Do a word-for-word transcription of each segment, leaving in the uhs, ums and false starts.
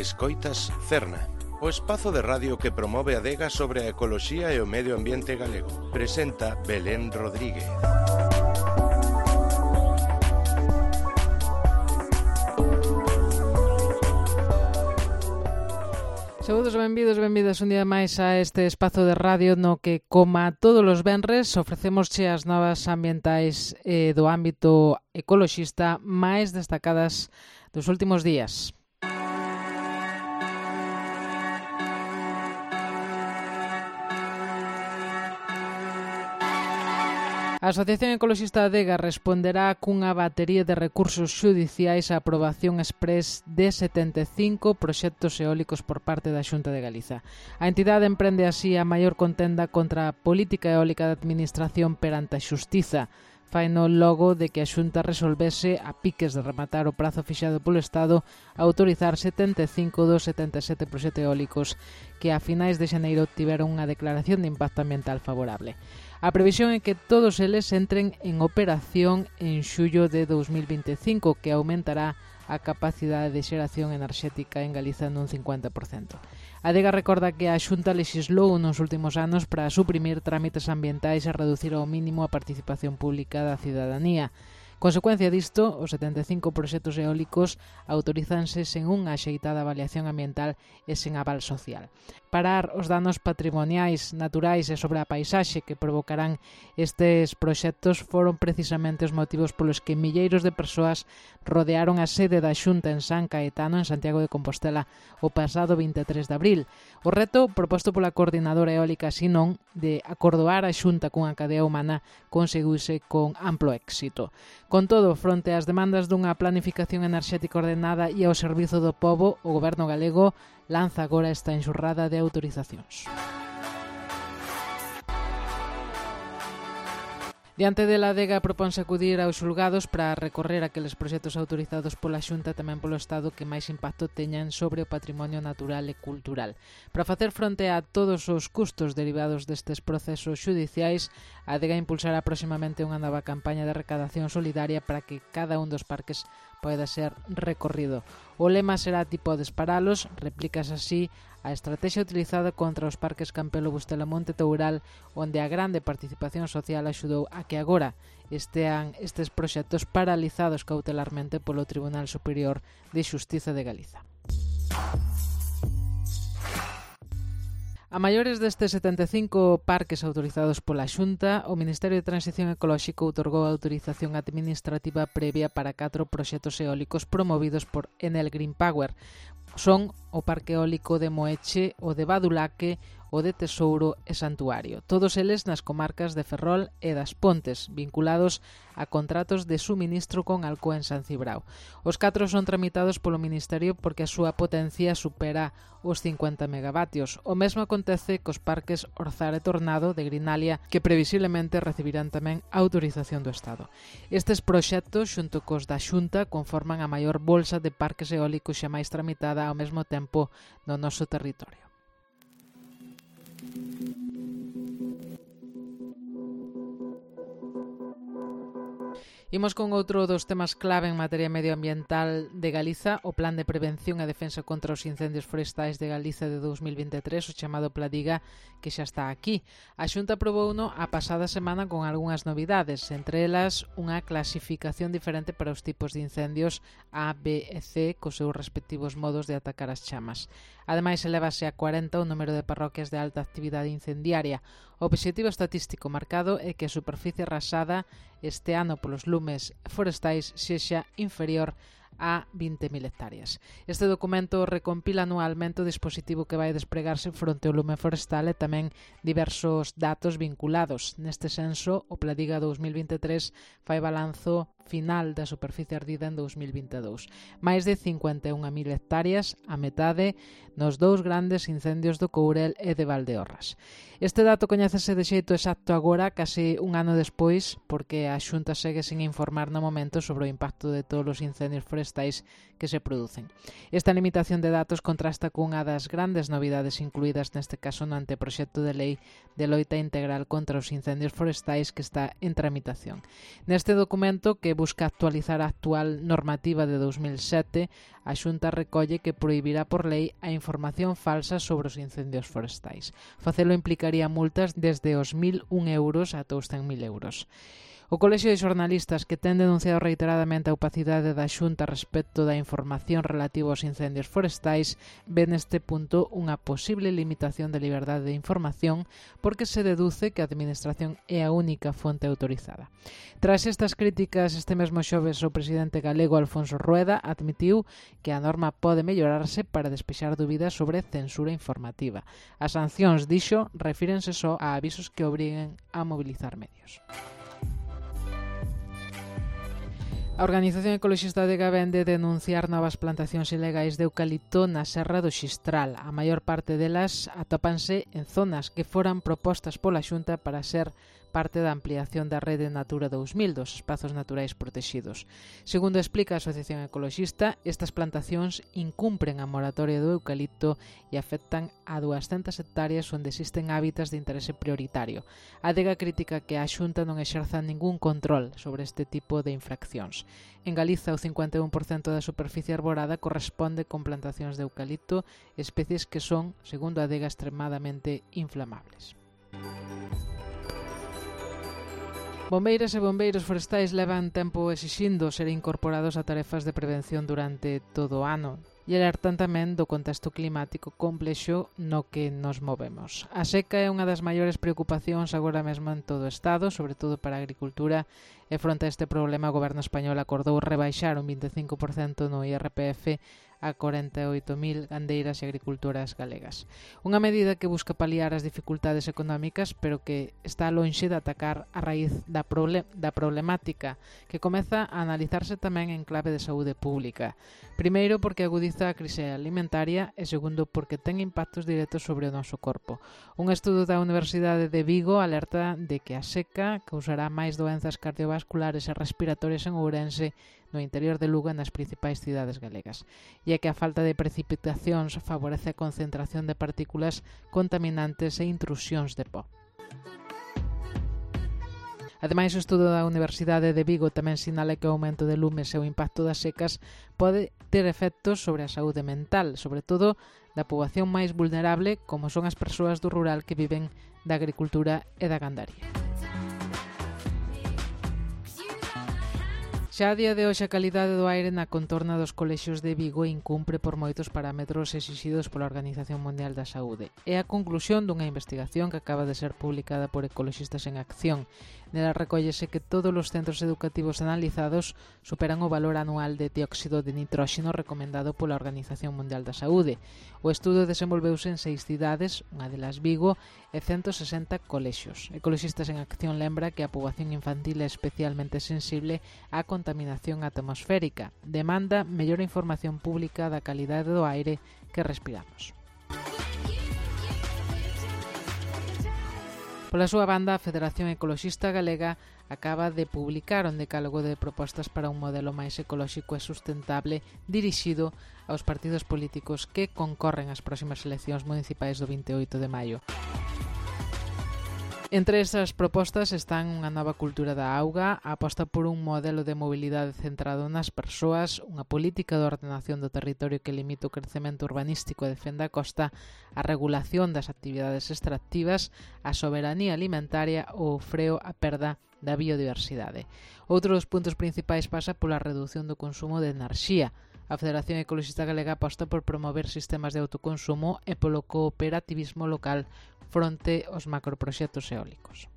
Escoitas Cerna, o espazo de radio que promove a adega sobre a ecoloxía e o medio ambiente galego. Presenta Belén Rodríguez. Saúdos, benvidos, benvidas un día máis a este espazo de radio no que, como todos os venres, ofrecemos as novas ambientais eh, do ámbito ecoloxista máis destacadas dos últimos días. A Asociación Ecoloxista Adega responderá cunha batería de recursos xudiciais á aprobación exprés de setenta e cinco proxectos eólicos por parte da Xunta de Galiza. A entidade emprende así a maior contenda contra a política eólica da administración perante a xustiza. Faino logo de que a Xunta resolvese a piques de rematar o prazo fixado polo Estado a autorizar setenta e cinco dos setenta e sete proxectos eólicos que a finais de xaneiro tiveron unha declaración de impacto ambiental favorable. A previsión é que todos eles entren en operación en xullo de dos mil vinte e cinco, que aumentará a capacidade de xeración enerxética en Galiza nun cincuenta por cento. A Adega recorda que a Xunta lexislou nos últimos anos para suprimir trámites ambientais e reducir ao mínimo a participación pública da cidadanía. Consecuencia disto, os setenta e cinco proxectos eólicos autorizanse sen unha axeitada avaliación ambiental e sen aval social. Parar os danos patrimoniais, naturais e sobre a paisaxe que provocarán estes proxectos foron precisamente os motivos polos que milleiros de persoas rodearon a sede da Xunta en San Caetano, en Santiago de Compostela, o pasado vinte e tres de abril. O reto proposto pola Coordinadora Eólica Sinón de acordoar a Xunta cunha cadea humana conseguiuse con amplo éxito. Con todo, fronte ás demandas dunha planificación enerxética ordenada e ao servizo do pobo, o Goberno galego lanza agora esta enxurrada de autorizacións. Diante de la Adega proponse acudir aos xulgados para recorrer aqueles proxectos autorizados pola Xunta e tamén polo Estado que máis impacto teñan sobre o patrimonio natural e cultural. Para facer fronte a todos os custos derivados destes procesos xudiciais, a Adega impulsará próximamente unha nova campaña de recadación solidaria para que cada un dos parques poida ser recorrido. O lema será tipo desparalos, replícase así a estrategia utilizada contra os parques Campelo, Bustela, Monte Toural, onde a grande participación social axudou a que agora estean estes proxectos paralizados cautelarmente polo Tribunal Superior de Xustiza de Galiza. A maiores destes setenta e cinco parques autorizados pola Xunta, o Ministerio de Transición Ecolóxico outorgou a autorización administrativa previa para catro proxectos eólicos promovidos por Enel Green Power. Son o Parque Eólico de Moeche, o de Badulaque, o de Tesouro e Santuario. Todos eles nas comarcas de Ferrol e das Pontes, vinculados a contratos de suministro con Alcoa en San Cibrao. Os catro son tramitados polo Ministerio porque a súa potencia supera os cincuenta megavatios. O mesmo acontece cos parques Orzar e Tornado de Grinalia, que previsiblemente recibirán tamén autorización do Estado. Estes proxectos, xunto cos da Xunta, conforman a maior bolsa de parques eólicos xa máis tramitada ao mesmo tempo no noso territorio. Imos con outro dos temas clave en materia medioambiental de Galiza, o Plan de Prevención e Defensa contra os Incendios Forestais de Galiza de dos mil vinte e tres, o chamado Pladiga, que xa está aquí. A Xunta aprobouno a pasada semana con algunhas novidades, entre elas unha clasificación diferente para os tipos de incendios A, B e C, cos seus respectivos modos de atacar as chamas. Ademais, elevase a cuarenta o número de parroquias de alta actividade incendiaria. O obxectivo estatístico marcado é que a superficie arrasada este ano polos lumes forestais sexa inferior a vinte mil hectáreas. Este documento recompila anualmente o dispositivo que vai despregarse fronte ao lume forestal e tamén diversos datos vinculados. Neste senso, o Pladiga dous mil vinte e tres fai balanzo final da superficie ardida en dous mil vinte e dous. Mais de cincuenta e unha mil hectáreas, a metade nos dous grandes incendios do Courel e de Valdeorras. Este dato coñécese de xeito exacto agora, case un ano despois, porque a Xunta segue sen informar no momento sobre o impacto de todos os incendios forestais forestais que se producen. Esta limitación de datos contrasta cunha das grandes novidades incluídas neste caso no anteproxecto de lei de loita integral contra os incendios forestais que está en tramitación. Neste documento, que busca actualizar a actual normativa de dous mil sete, a Xunta recolle que prohibirá por lei a información falsa sobre os incendios forestais. Facelo implicaría multas desde os mil un euros ata os cen mil euros. O Colexio de Xornalistas, que ten denunciado reiteradamente a opacidade da Xunta respecto da información relativa aos incendios forestais, ve neste punto unha posible limitación de liberdade de información porque se deduce que a Administración é a única fonte autorizada. Tras estas críticas, este mesmo xoves o presidente galego Alfonso Rueda admitiu que a norma pode mellorarse para despexar dúbidas sobre censura informativa. As sancións, dixo, refírense só a avisos que obriguen a mobilizar medios. A Organización Ecoloxista de Gabén de denunciar novas plantacións ilegais de eucalipto na Serra do Xistral. A maior parte delas atópanse en zonas que foran propostas pola Xunta para ser parte da ampliación da rede Natura dous mil dos espazos naturais protegidos. Segundo explica a Asociación Ecoloxista, estas plantacións incumpren a moratoria do eucalipto e afectan a duascentas hectáreas onde existen hábitats de interese prioritario. A adega crítica que a Xunta non exerza ningún control sobre este tipo de infraccións. En Galiza, o cincuenta e un por cento da superficie arborada corresponde con plantacións de eucalipto, especies que son, segundo a adega, extremadamente inflamables. Bombeiras e bombeiros forestais levan tempo exixindo ser incorporados a tarefas de prevención durante todo o ano e alertan tamén do contexto climático complexo no que nos movemos. A seca é unha das maiores preocupacións agora mesmo en todo o Estado, sobre todo para a agricultura, e fronte a este problema o Goberno español acordou rebaixar un vinte e cinco por cento no I R P F a corenta e oito mil gandeiras e agricultoras galegas. Unha medida que busca paliar as dificultades económicas, pero que está lonxe de atacar a raíz da, proble- da problemática, que comeza a analizarse tamén en clave de saúde pública. Primeiro, porque agudiza a crise alimentaria e segundo, porque ten impactos directos sobre o noso corpo. Un estudo da Universidade de Vigo alerta de que a seca causará máis doenzas cardiovasculares e respiratorias en Ourense, no interior de Lugo e nas principais cidades galegas, e é que a falta de precipitacións favorece a concentración de partículas contaminantes e intrusións de pó. Ademais, o estudo da Universidade de Vigo tamén sinala que o aumento de lumes e o impacto das secas pode ter efectos sobre a saúde mental, sobre todo da poboación máis vulnerable, como son as persoas do rural que viven da agricultura e da gandaría. Xa a día de hoxe a calidade do aire na contorna dos colexios de Vigo incumpre por moitos parámetros exixidos pola Organización Mundial da Saúde. É a conclusión dunha investigación que acaba de ser publicada por Ecoloxistas en Acción. Nela recóllese que todos os centros educativos analizados superan o valor anual de dióxido de nitróxeno recomendado pola Organización Mundial da Saúde. O estudo desenvolveuse en seis cidades, unha delas Vigo, e ciento sesenta colexios. Ecoloxistas en Acción lembra que a poboación infantil é especialmente sensible á contaminación atmosférica. Demanda mellor información pública da calidade do aire que respiramos. Pola súa banda, a Federación Ecoloxista Galega acaba de publicar un decálogo de propostas para un modelo máis ecolóxico e sustentable dirixido aos partidos políticos que concorren ás próximas eleccións municipais do vinte e oito de maio. Entre esas propostas están unha nova cultura da auga, a aposta por un modelo de mobilidade centrado nas persoas, unha política de ordenación do territorio que limite o crecemento urbanístico e defenda a costa, a regulación das actividades extractivas, a soberanía alimentaria ou o freo á perda da biodiversidade. Outro dos puntos principais pasa pola redución do consumo de enerxía. A Federación Ecoloxista Galega aposta por promover sistemas de autoconsumo e polo cooperativismo local fronte aos macroproxectos eólicos.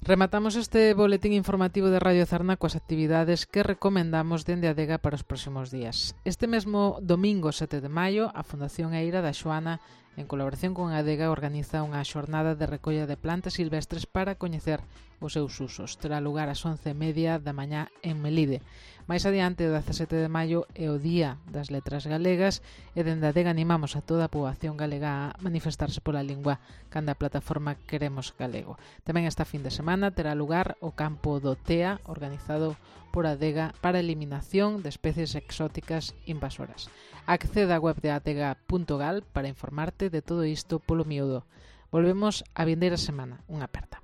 Rematamos este boletín informativo de Radio Zarna coas actividades que recomendamos dende a adega para os próximos días. Este mesmo domingo sete de maio, a Fundación Eira da Xoana En colaboración con a Adega, organiza unha xornada de recolla de plantas silvestres para coñecer os seus usos. Terá lugar ás once e media da mañá en Melide. Mais adiante, o dezasete de maio, é o Día das Letras Galegas e dende a Adega animamos a toda a poboación galega a manifestarse pola lingua canda a plataforma Queremos Galego. Tamén esta fin de semana terá lugar o campo do T E A, organizado por a Adega para a eliminación de especies exóticas invasoras. Acceda á web de adega punto gal para informarte de todo isto polo miúdo. Volvemos a vindeira semana. Unha aperta.